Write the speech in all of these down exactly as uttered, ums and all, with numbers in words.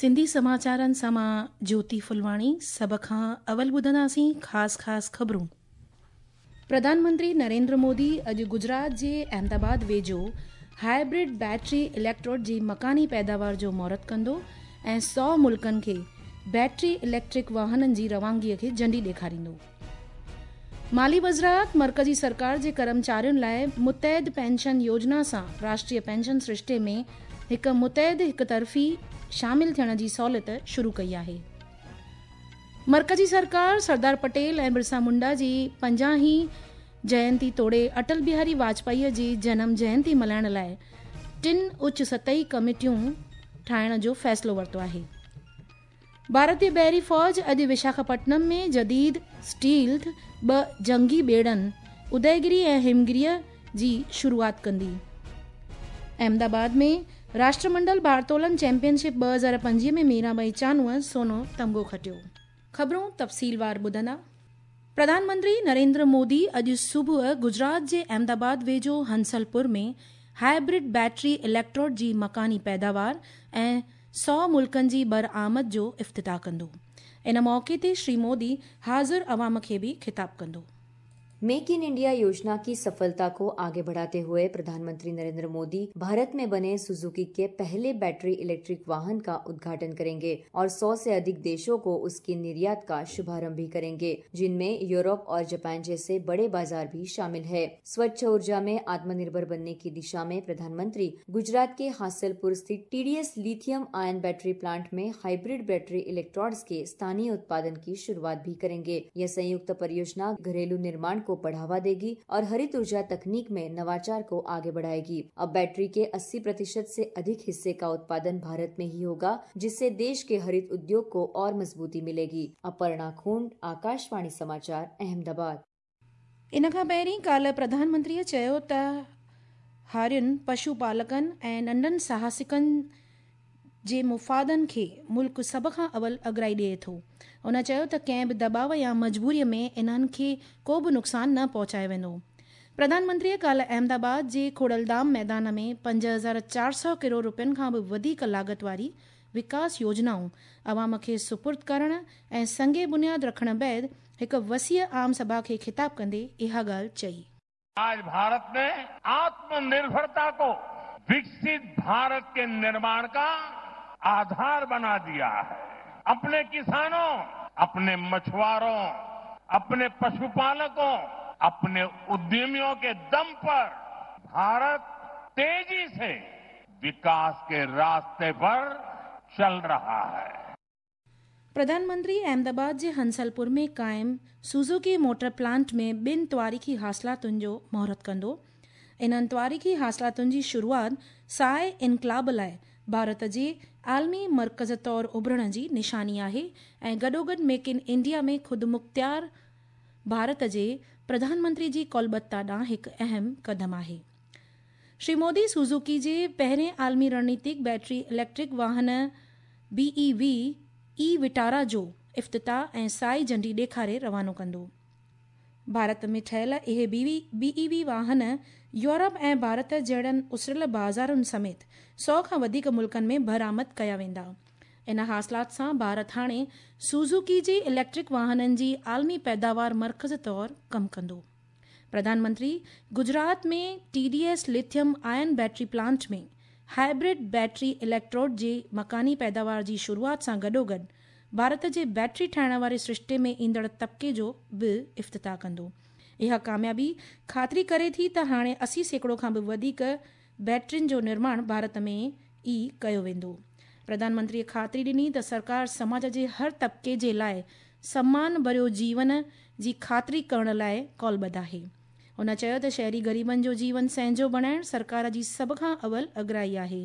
सिंधी समाचारनि सां मां ज्योति फुलवाणी। सभ खां अवल ॿुधंदासीं ख़ासि ख़ासि ख़बरूं। प्रधानमंत्री नरेंद्र मोदी अॼु गुजरात जे अहमदाबाद वेझो हाइब्रिड बैटरी इलेक्ट्रोड जी मकानी पैदावार जो मुहूर्त कंदो ऐं सौ मुल्कनि खे बैटरी इलेक्ट्रिक वाहननि जी रवानगीअ खे झंडी ॾेखारींदो। माली वज़ारत मर्कज़ी सरकार जे कर्मचारियुनि लाइ मुतहद पेंशन योजना सां राष्ट्रीय पेंशन सृष्टे में हिकु मुतहद हिकु तरफ़ी शामिल थियण जी सहूलियत शुरू कई आहे। मर्कज़ी सरकार सरदार पटेल ऐं बिरसा मुंडा जी पंजाहीं जयंती तोड़े अटल बिहारी वाजपेयी जी जनम जयंती मल्हाइण लाइ टिनि उच्च सतही कमेटियूं ठाहिण जो फ़ैसिलो वरितो आहे। भारतीय बहरी फ़ौज अॼु विशाखापट्टनम में जदीद स्टील्थ ॿ जंगी ॿेड़नि उदयगिरी ऐं हिमगिरीअ जी शुरूआत कंदी। अहमदाबाद में राष्ट्रमंडल भारतोलन चैंपियनशिप ॿ हज़ार पंजवीह में मीराबाई चानूअ सोनो तमगो खटियो। ख़बरूं तफ़सीलवार ॿुधंदा। प्रधानमंत्री नरेंद्र मोदी अॼु सुबुह गुजरात जे अहमदाबाद वेझो हंसलपुर में हाइब्रिड बैटरी इलेक्ट्रोड जी मकानी पैदावार ऐं सौ मुल्कनि जी बरआमद जो इफ़्तिताह कंदो। इन मौक़े ते श्री मोदी हाज़िर अवाम खे बि ख़िताब कंदो। मेक इन इंडिया योजना की सफलता को आगे बढ़ाते हुए प्रधानमंत्री नरेंद्र मोदी भारत में बने सुजुकी के पहले बैटरी इलेक्ट्रिक वाहन का उद्घाटन करेंगे और सौ से अधिक देशों को उसके निर्यात का शुभारंभ भी करेंगे, जिनमें यूरोप और जापान जैसे बड़े बाजार भी शामिल है। स्वच्छ ऊर्जा में आत्मनिर्भर बनने की दिशा में प्रधानमंत्री गुजरात के हासलपुर स्थित T D S lithium ion battery plant में हाइब्रिड बैटरी इलेक्ट्रोड्स के स्थानीय उत्पादन की शुरुआत भी करेंगे। यह संयुक्त परियोजना घरेलू निर्माण को बढ़ावा देगी और हरित ऊर्जा तकनीक में नवाचार को आगे बढ़ाएगी। अब बैटरी के अस्सी प्रतिशत से अधिक हिस्से का उत्पादन भारत में ही होगा, जिससे देश के हरित उद्योग को और मजबूती मिलेगी। अपर्णा खूंड, आकाशवाणी समाचार, अहमदाबाद। इन खां पहिरीं काल्ह प्रधानमंत्रीअ चयो त हारियुनि, पशुपालकनि ऐं नंढनि साहसिकनि जे मुफ़ादनि खे मुल्क सभ खां अवल अगराई ॾिए थो। हुन चयो त कंहिं बि दबाव या मजबूरीअ में इन्हनि खे को बि नुक़सानु न पहुचायो वेंदो। प्रधानमंत्रीअ काल्ह अहमदाबाद जे खोड़लधाम मैदान में पंज हज़ार चारि सौ करोड़ रुपयनि खां बि वधीक लागत वारी विकास योजनाऊं अवाम खे सुपुर्द करण ऐं संगे बुनियाद रखण बाद हिकु वसीअ आम सभा खे ख़िताब कंदे इहा ॻाल्हि चई। आज भारत ने आत्मनिर्भरता को विकसित भारत के निर्माण का आधार बना दिया है। अपने किसानों, अपने मछुआरों, अपने पशुपालकों, अपने उद्यमियों के दम पर भारत तेजी से विकास के रास्ते पर चल रहा है। प्रधानमंत्री अहमदाबाद जे हंसलपुर में क़ाइम सुजुकी मोटर प्लांट में ॿिनि तवारीख़ी हासिलातुनि जो मुहूर्त कंदो। इन्हनि तवारीख़ी हासिलातुनि जी शुरूआत साए इनकलाब लाइ भारत जे आलमी मर्कज़ तौर उभरण जी निशानी आहे ऐं गॾोगॾु मेक इन इंडिया में ख़ुदि मुख़्तियार भारत जे प्रधानमंत्री जी कौलबद्धता ॾांहुं हिकु अहम कदम आहे। श्री मोदी सुजुकी जे पहिरें आलमी रणनीतिक बैटरी इलेक्ट्रिक वाहन B E V e Vitara जो इफ़्तिताह ऐं साई झंडी ॾेखारे रवानो कंदो। भारत में ठहियल इहे बी ई वी वाहन यूरोप ऐं भारत जहिड़नि उसरियल बाज़ारुनि समेत सौ खां वधीक मुल्कनि में बरामद कया वेंदा। इन हासिलात सां भारत हाणे सुजुकी जे इलेक्ट्रिक वाहननि जी आलमी पैदावार मर्कज़ तौर कमु कंदो। प्रधानमंत्री गुजरात में T D S lithium ion battery plant में हाइब्रिड बैटरी इलेक्ट्रोड जे मकानी पैदावार जी शुरूआत सां गॾोगॾु भारत जे बैटरी ठाहिण वारे सृष्टे में ईंदड़ तबिके जो बि इफ़्तिताह कंदो। इहा कामयाबी ख़ातिरी करे थी त हाणे असी सैकड़ो खां बि वधीक बैटरियुनि जो निर्माण भारत में ई कयो वेंदो। प्रधानमंत्रीअ ख़ातिरी ॾिनी त सरकार समाज जे हर तबिके जे लाइ सम्मान भरियो जीवन जी ख़ातिरी करण लाइ कौलबद्ध आहे। हुन चयो त शहरी ग़रीबनि जो जीवन सहजो बणाइण सरकार जी सभ खां अवल अगराई आहे।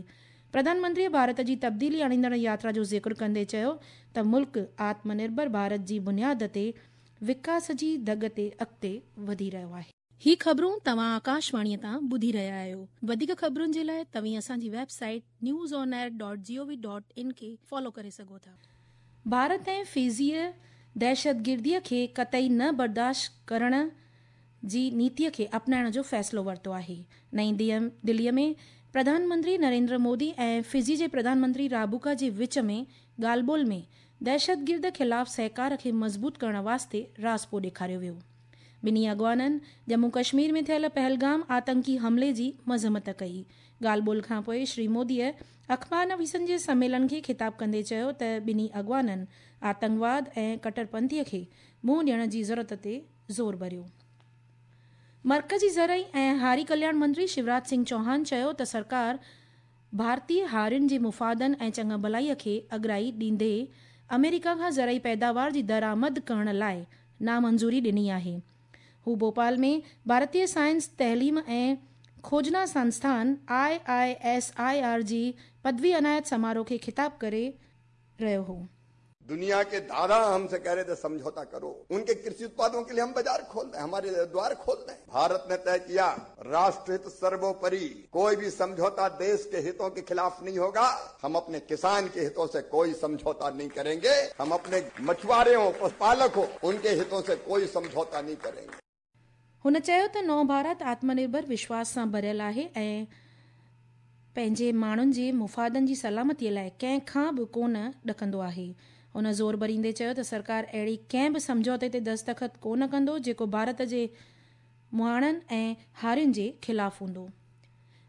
प्रधानमंत्रीअ भारत जी तब्दीली आणींदड़ यात्रा जो ज़िक्र कंदे चयो त मुल्क आत्मनिर्भर भारत जी बुनियाद ते विकास जी दग ते अॻिते वधी रहियो आहे। ही ख़बरूं तव्हां आकाशवाणीअ तां ॿुधी रहिया आहियो। वधीक ख़बरुनि जे लाइ तव्हीं असांजी website news on air dot G O V dot in खे फॉलो करे सघो था। भारत ऐं फिजीअ दहशतगिर्दीअ खे कतई न बर्दाश्त करण जी नीतीअ खे अपनाइण जो फ़ैसिलो वरितो आहे। नई दिल्लीअ में प्रधानमंत्री नरेंद्र मोदी ऐं फिजी जे प्रधानमंत्री राबुका जे विच में ॻाल्हि ॿोल में दहशतगिर्द ख़िलाफ़ सहकार खे मज़बूत करण वास्ते राज़पो ॾेखारियो वियो। ॿिन्ही अॻवाननि जम्मू कश्मीर में थियल पहलगाम आतंकी हमले जी मज़म्मत कई। ॻाल्हि ॿोल खां पोइ श्री मोदीअ अख़बार नवीसनि जे सम्मेलन खे ख़िताब कंदे चयो त ॿिन्ही अॻवाननि आतंकवाद ऐं कटरपंथीअ खे मुंहुं ॾियण जी ज़रूरत ते ज़ोर भरियो। मर्कज़ी ज़रई ऐं हारी कल्याण मंत्री शिवराज सिंह चौहान चयो त सरकार भारतीय हारियुनि जे मुफ़ादनि ऐं चङा भलाईअ खे अॻिराई ॾींदे अमेरिका खां ज़रई पैदावार जी दरामद करण लाइ नामंज़ूरी ॾिनी आहे। हू भोपाल में भारतीय साइंस तइलीम ऐं खोजना संस्थान I I S I R जी पदवी अनायत समारोह खे ख़िताब करे रहियो हो। दुनिया के दादा हमसे कह रहे थे समझौता करो, उनके कृषि उत्पादों के लिए हम बाजार खोल दें, हमारे द्वार खोल दें। भारत ने तय किया राष्ट्रहित सर्वोपरि, कोई भी समझौता देश के हितों के खिलाफ नहीं होगा। हम अपने किसान के हितों से कोई समझौता नहीं करेंगे, हम अपने मछुआरे हो, पशुपालक हो, उनके हितों से कोई समझौता नहीं करेंगे। हुन चयो त नओं भारत आत्मनिर्भर विश्वास सां भरियल आहे ऐं पंहिंजे माण्हुनि जे मुफ़ादनि जी सलामतीअ लाइ कंहिं खां बि कोन ॾकंदो आहे। हुन ज़ोर भरींदे चयो त सरकार अहिड़ी कंहिं बि सम्झौते ते दस्तख़त कोन कंदो जेको भारत जे मुहाणनि ऐं हारियुनि जे ख़िलाफ़ हूंदो।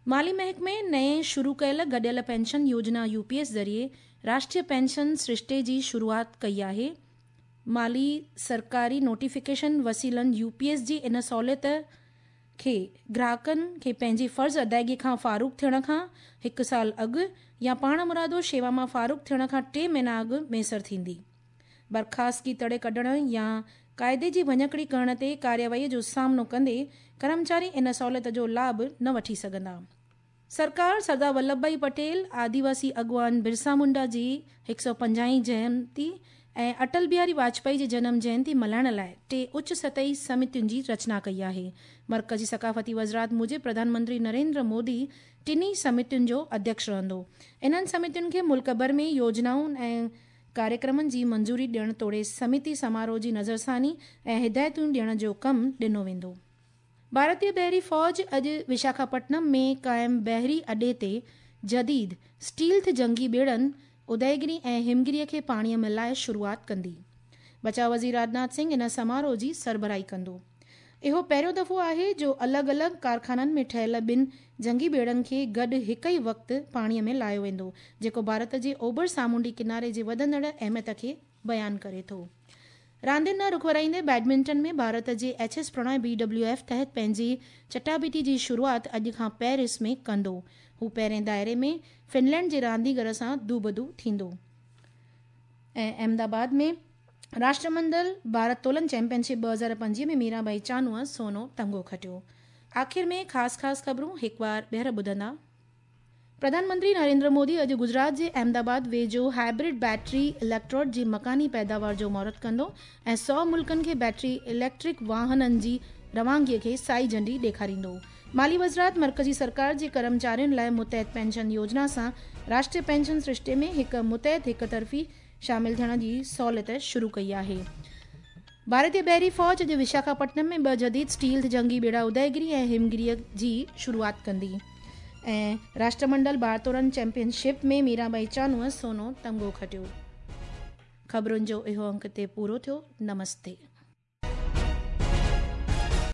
माली महकमे नए शुरू कयल गॾियल पेंशन योजना यू पी एस ज़रिए राष्ट्रीय पेंशन सृष्टे जी शुरूआत कई आहे। माली सरकारी नोटिफिकेशन वसीलनि यू पी एस जी इन सहूलियत खे ग्राहकनि खे पंहिंजी फ़र्ज़ अदायगी खां फ़ारुग़ थियण खां हिकु साल अॻु या पाणमुरादो शेवा मां फ़ारुग़ थियण खां टे महीना अॻु मयसर थींदी। बर्खास्तगी तड़े कढण या क़ाइदे जी भञकड़ी करण ते कार्यवाहीअ जो सामनो कंदे कर्मचारी इन सहूलियत जो लाभ न वठी सघंदा। सरकार सरदार वल्लभ भाई पटेल, आदिवासी अॻवान बिरसा मुंडा जी हिकु सौ पंजाहीं जयंती ऐं अटल बिहारी वाजपेयी जे जनम जयंती मल्हाइण लाइ टे उच्च सतही समितियुनि जी रचना कई आहे। मर्कज़ी सकाफ़ती वज़ारत मूजिबि प्रधानमंत्री नरेंद्र मोदी टिन्ही समितियुनि जो अध्यक्ष रहंदो। इन्हनि समितियुनि खे मुल्क भर में योजनाउनि ऐं कार्यक्रमनि जी मंज़ूरी ॾियण तोड़े समिति समारोह जी नज़रसानी ऐं हिदायतुनि ॾियण जो कमु ॾिनो वेंदो। भारतीय बहरी फ़ौज अॼु विशाखापट्टनम में क़ाइमु बहरी अॾे ते जदीद स्टील्थ जंगी ॿेड़नि उदयगिरी ऐं हिमगिरीअ खे पाणीअ में लाइ शुरूआत कंदी। बचाव वज़ीर राजनाथ सिंह इन समारोह जी सरबराही कंदो। इहो पहिरियों दफ़ो आहे जो अलॻि अलॻि कारखाननि में ठहियल ॿिनि जंगी ॿेड़नि खे गॾु हिकु ई वक़्तु पाणीअ में लायो वेंदो, जेको भारत जे ओभर सामुंडी किनारे जे वधंदड़ अहमियत खे बयानु करे थो। रांदियुनि ॾांहुं रुख वराईंदे बैडमिंटन में भारत जे H S Prannoy B W F तहत पंहिंजी चटाबिटी जी शुरूआत अॼु खां पेरिस में कंदो। हू पहिरें दायरे में फिनलैंड जे रांदीगर सां दूबदू थींदो। ऐं अहमदाबाद में राष्ट्रमंडल भारतोलन चैंपियनशिप ॿ हज़ार पंजवीह में मीराबाई चानूअ सोनो तमगो खटियो। आख़िर में ख़ासि ख़ासि ख़बरूं हिकु बार ॿीहर ॿुधंदा। प्रधानमंत्री नरेंद्र मोदी अॼु गुजरात जे अहमदाबाद वेझो हाइब्रिड बैटरी इलेक्ट्रोड जी मकानी पैदावार जो मुहूर्त कंदो ऐं सौ मुल्कनि खे बैटरी इलेक्ट्रिक वाहननि जी रवानगीअ खे साई झंडी ॾेखारींदो। माली वज़ारत मर्कज़ी सरकार जे कर्मचारियुनि लाइ मुतहद पेंशन योजना सां राष्ट्रीय पेंशन सृष्टे में हिकु मुतहद हिकु तरफ़ी शामिल थियण जी सहूलियत शुरू कई आहे। भारतीय बहरी फ़ौज अॼु विशाखापट्टनम में ॿ जदीद स्टील जंगी ॿेड़ा उदयगिरी ऐं हिमगिरीअ जी शुरूआत कंदी। ऐं राष्ट्रमंडल भारतोलन चैंपियनशिप में मीराबाई चानूअ सोनो तमगो खटियो। ख़बरुनि जो इहो अंक ते पूरो थियो। नमस्ते।